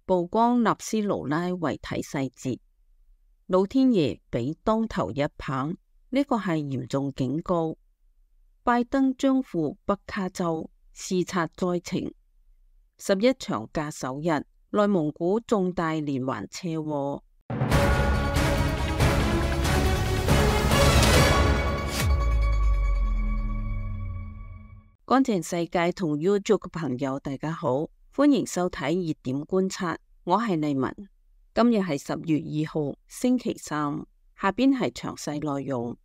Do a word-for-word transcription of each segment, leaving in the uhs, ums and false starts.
曝光納斯盧拉遺體細節，老天爺俾當頭一棒，呢個係嚴重警告。拜登將赴北卡州視察災情。十一長假首日，內蒙古重大連環車禍。乾淨世界同 YouTube 嘅朋友，大家好，歡迎收睇熱點觀察，我係麗文。今日係十月二號，星期三。下邊係詳細內容。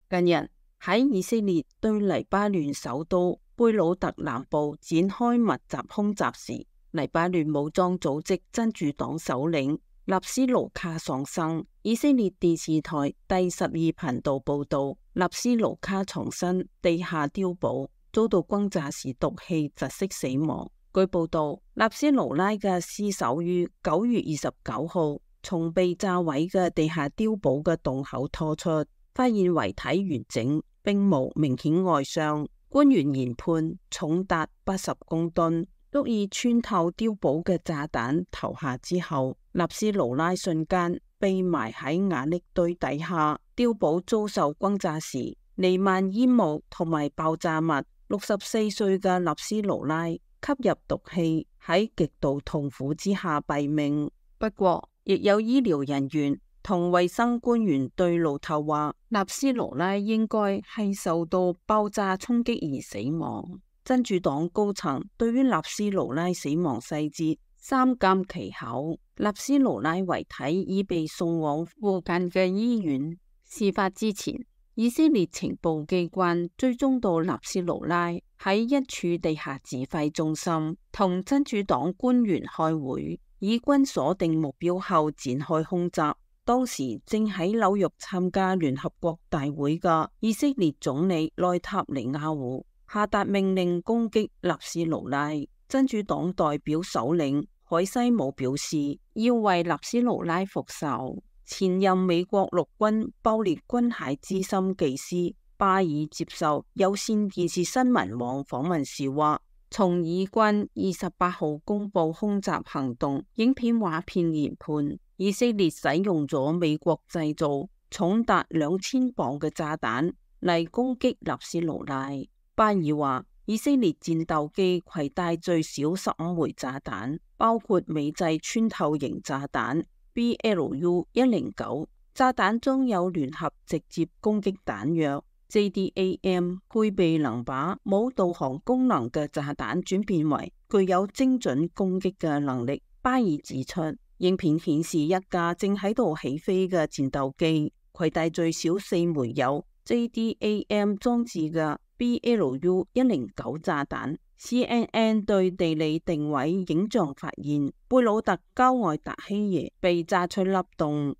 近日喺以色列對黎巴嫩首都貝魯特南部展開密集空襲時，黎巴嫩武裝組織真主黨首領納斯盧卡喪生。以色列電視台第十二頻道報道，納斯盧卡藏身地下碉堡，遭到轟炸時毒氣窒息死亡。據報道，納斯盧拉嘅屍首於九月二十九號從被炸毀嘅地下碉堡嘅洞口拖出，發現遺體完整，並無明顯外傷。官員研判重達八十公噸，足以穿透碉堡嘅炸彈投下之後，納斯盧拉瞬間被埋喺瓦礫堆底下。碉堡遭受轟炸時，彌漫煙霧同埋爆炸物。六十四歲嘅納斯盧拉吸入毒氣，喺極度痛苦之下斃命。不過，亦有醫療人員同衛生官員對路透話，納斯盧拉應該係受到爆炸衝擊而死亡。真主黨高層對於納斯盧拉死亡細節三緘其口。納斯盧拉遺體已被送往附近嘅醫院。事發之前，以色列情報機關追蹤到納斯盧拉喺一處地下指揮中心同真主黨官員開會，以軍鎖定目標後展開空襲。當時正喺紐約參加聯合國大會嘅以色列總理內塔尼亞胡下達命令攻擊納斯盧拉。真主黨代表首領海西姆表示，要為納斯盧拉復仇。前任美國陸軍爆裂軍械資深技師巴爾接受有線電視新聞網訪問時話，從以軍二十八號公布空襲行動影片畫片研判，以色列使用咗美國製造重達兩千磅嘅炸彈嚟攻擊納斯盧拉。巴爾話，以色列戰鬥機攜帶最少十五枚炸彈，包括美製穿透型炸彈B L U 一零九，炸彈中有聯合直接攻擊彈藥 J D A M， 配備能把冇導航功能嘅炸彈轉變為具有精準攻擊嘅能力。巴爾指出，影片顯示一架正喺度起飛嘅戰鬥機攜帶最少四枚有 J D A M 裝置嘅 B L U 一零九炸彈。C N N 對地理定位影像發現，貝魯特郊外達希耶被炸出凹洞。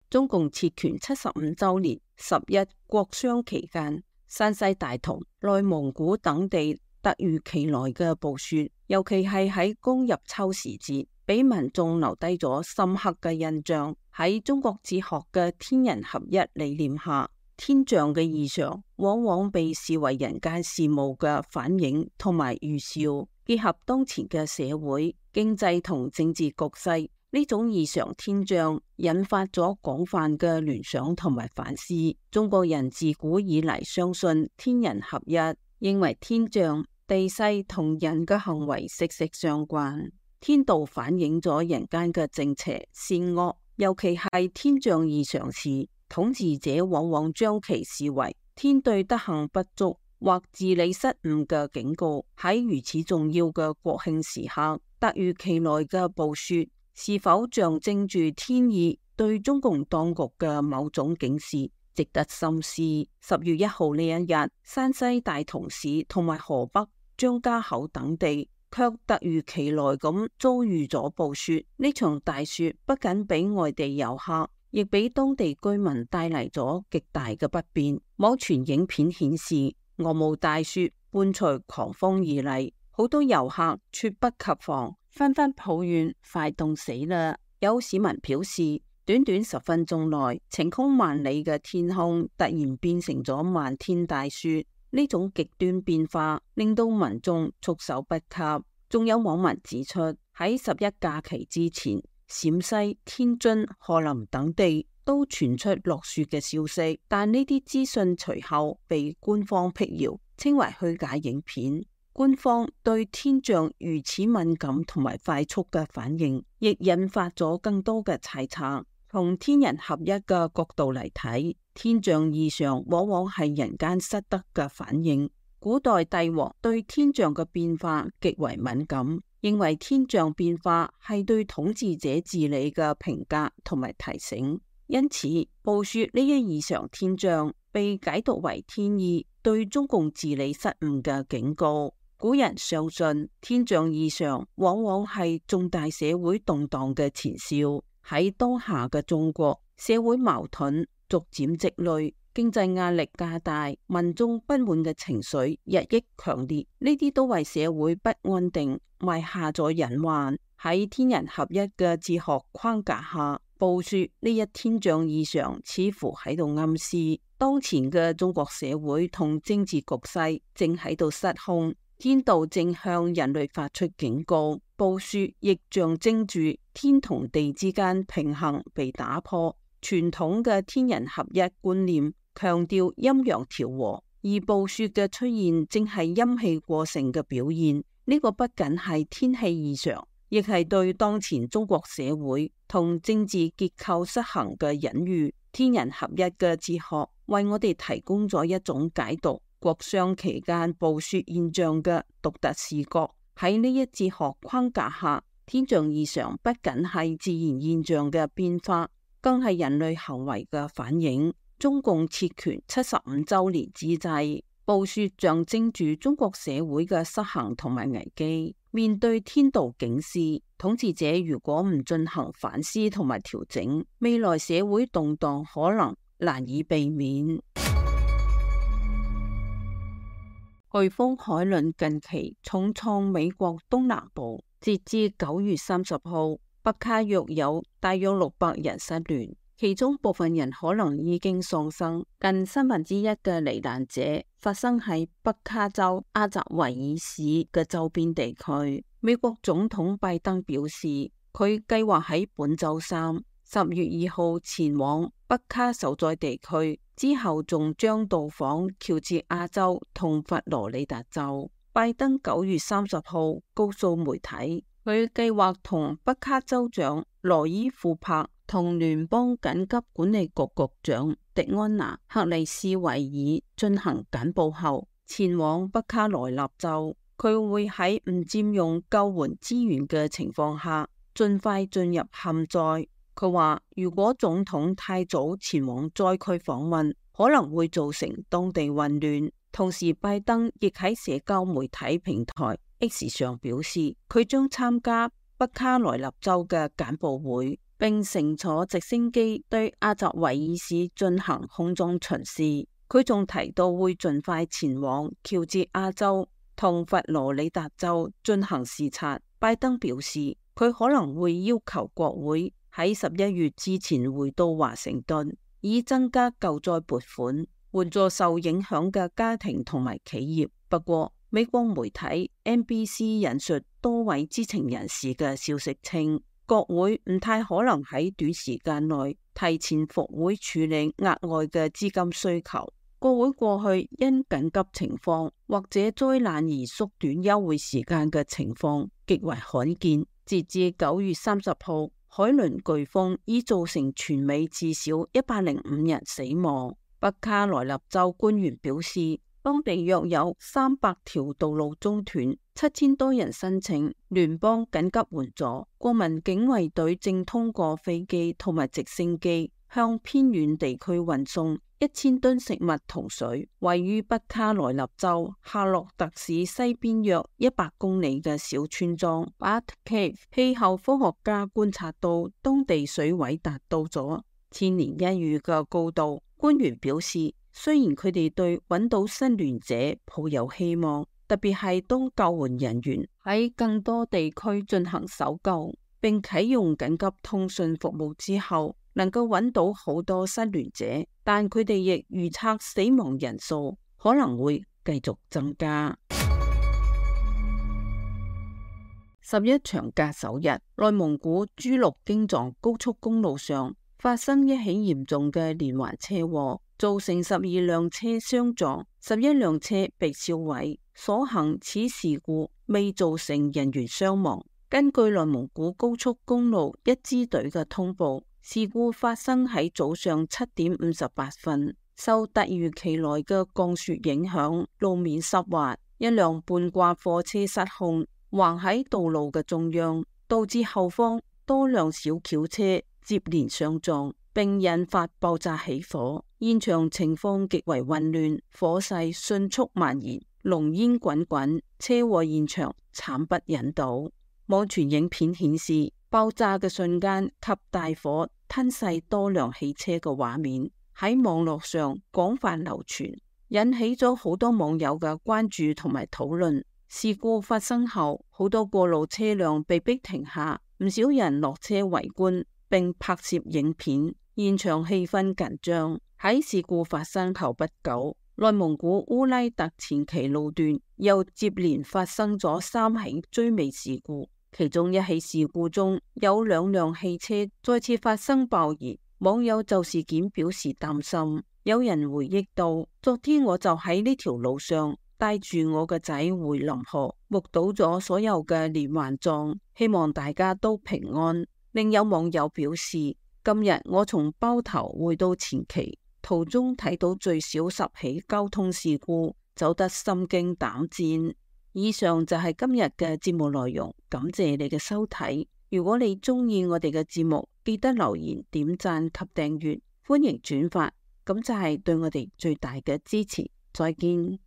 中共撤權七十五周年十一國殤期間，山西大同、內蒙古等地突如其來嘅暴雪，尤其係喺公入秋時節，俾民眾留低咗深刻嘅印象。喺中國哲學嘅天人合一理念下，天象嘅異常往往被視為人間事務嘅反映同埋預兆，結合當前嘅社會、經濟同政治局勢，呢種異常天象引發咗廣泛嘅聯想同埋反思。中國人自古以嚟相信天人合一，認為天象、地勢同人嘅行為息息相關。天道反映咗人間嘅正邪善惡，尤其係天象異常時，統治者往往將其視為天對德行不足或治理失誤嘅警告。喺如此重要嘅國慶時刻，突如其來嘅暴雪是否象徵住天意對中共當局嘅某種警示，值得深思。十月一號呢一日，山西大同市同埋河北張家口等地卻突如其來咁遭遇咗暴雪。呢場大雪不僅俾外地遊客，亦俾當地居民帶嚟咗極大嘅不便。網傳影片顯示，鵝毛大雪伴隨狂風而嚟，好多遊客猝不及防，紛紛抱怨快凍死啦。有市民表示，短短十分鐘內，晴空萬里嘅天空突然變成咗漫天大雪。呢種極端變化令到民眾措手不及。仲有網民指出，喺十一假期之前，陝西、天津、河南等地都傳出落雪嘅消息，但呢啲資訊隨後被官方闢謠，稱為虛假影片。官方對天象如此敏感同埋快速嘅反應，亦引發咗更多嘅猜測。從天人合一嘅角度嚟睇，天象異常往往係人間失德嘅反應。古代帝王對天象嘅變化極為敏感，認為天象變化係對統治者治理嘅評價同埋提醒，因此暴雪呢一異常天象被解讀為天意對中共治理失誤嘅警告。古人相信天象異常往往係重大社會動盪嘅前兆。喺當下嘅中國，社會矛盾逐漸積累，經濟壓力加大，民眾不滿嘅情緒日益強烈，呢啲都為社會不安定埋下咗隱患。喺天人合一嘅哲學框架下，暴雪呢一天象異常似乎喺度暗示，當前嘅中國社會同政治局勢正喺度失控。天道正向人類發出警告，暴雪亦象徵住天同地之間平衡被打破。傳統嘅天人合一觀念強調陰陽調和，而暴雪嘅出現正係陰氣過盛嘅表現。呢個不僅係天氣異常，亦係對當前中國社會同政治結構失衡嘅隱喻。天人合一嘅哲學為我哋提供咗一種解讀國殤期間暴雪現象嘅獨特視角。喺呢一哲學框架下，天象異常不僅係自然現象嘅變化，更係人類行為嘅反映。中共撤權七十五周年之際，暴雪象徵住中國社會嘅失衡同埋危機。面對天道警示，統治者如果唔進行反思同埋調整，未來社會動盪可能難以避免。颶風海倫近期重創美國東南部，截至九月三十號，北卡約有大約六百人失聯，其中部分人可能已經喪生。近三分之一嘅罹難者發生喺北卡州阿澤維爾市嘅周邊地區。美國總統拜登表示，佢計劃喺本周三十月二號前往北卡受災地區，之後仲將到訪喬治亞州同佛羅里達州。拜登九月三十號告訴媒體，佢計劃同北卡州長羅伊庫珀同聯邦緊急管理局局長迪安娜克里斯維爾進行簡報後，前往北卡羅納州。佢會喺唔佔用救援資源嘅情況下，盡快進入陷災。佢話如果總統太早前往災區訪問，可能會造成當地混亂。同時，拜登亦喺社交媒體平台 X 上表示，佢將參加北卡羅納州嘅簡報會，並乘坐直升機對阿澤維爾市進行空中巡視。佢仲提到會盡快前往喬治亞州同佛羅里達州進行視察。拜登表示，佢可能會要求國會喺十一月之前回到華盛頓，以增加救災撥款，援助受影響嘅家庭同埋企業。不過，美國媒體 N B C 引述多位知情人士嘅消息稱，國會唔太可能喺短時間內提前復會處理額外嘅資金需求。國會過去因緊急情況或者災難而縮短休會時間嘅情況極為罕見。截至九月三十號，海倫颶風已造成全美至少一百零五人死亡。北卡羅納州官員表示，當地約有三百條道路中斷，七千多人申請聯邦緊急援助。國民警衛隊正通過飛機同埋直升機向偏遠地區運送一千噸食物同水。位於北卡羅納州夏洛特市西邊約一百公里嘅小村莊 Butte Cave， 氣候科學家觀察到當地水位達到咗千年一遇嘅高度。官員表示，雖然佢哋對揾到失聯者抱有希望，特別係當救援人員喺更多地區進行搜救並啟用緊急通訊服務之後，能夠揾到好多失聯者，但佢哋亦預測死亡人數可能會繼續增加。十一長假首日，內蒙古珠綠京藏高速公路上發生一起嚴重嘅連環車禍，造成十二輛車相撞，十一輛車被燒毀。所幸此事故未造成人員傷亡。根據內蒙古高速公路一支隊嘅通報，事故發生喺早上七點五十八分，受突如其來嘅降雪影響，路面濕滑，一輛半掛貨車失控橫喺道路嘅中央，導致後方多輛小轎車接連相撞，並引發爆炸起火。現場情況極為混亂，火勢迅速蔓延，濃煙滾滾，車禍現場慘不忍睹。網傳影片顯示，爆炸嘅瞬間及大火吞噬多輛汽車嘅畫面喺網絡上廣泛流傳，引起咗好多網友嘅關注同埋討論。事故發生後，好多過路車輛被迫停下，唔少人落車圍觀並拍攝影片，現場氣氛緊張。喺事故發生後不久，內蒙古烏拉特前旗路段又接連發生咗三起追尾事故，其中一起事故中有兩輛汽車再次發生爆燃，網友就事件表示擔心。有人回憶到，昨天我就喺呢條路上帶住我個仔回臨河，目睹咗所有嘅連環撞，希望大家都平安。另有網友表示，今日我從包頭回到前旗，途中睇到最少十起交通事故，走得心驚膽戰。以上就係今日嘅節目內容，感謝你嘅收睇。如果你中意我哋嘅節目，記得留言、點讚及訂閱，歡迎轉發，咁就係對我哋最大嘅支持。再見。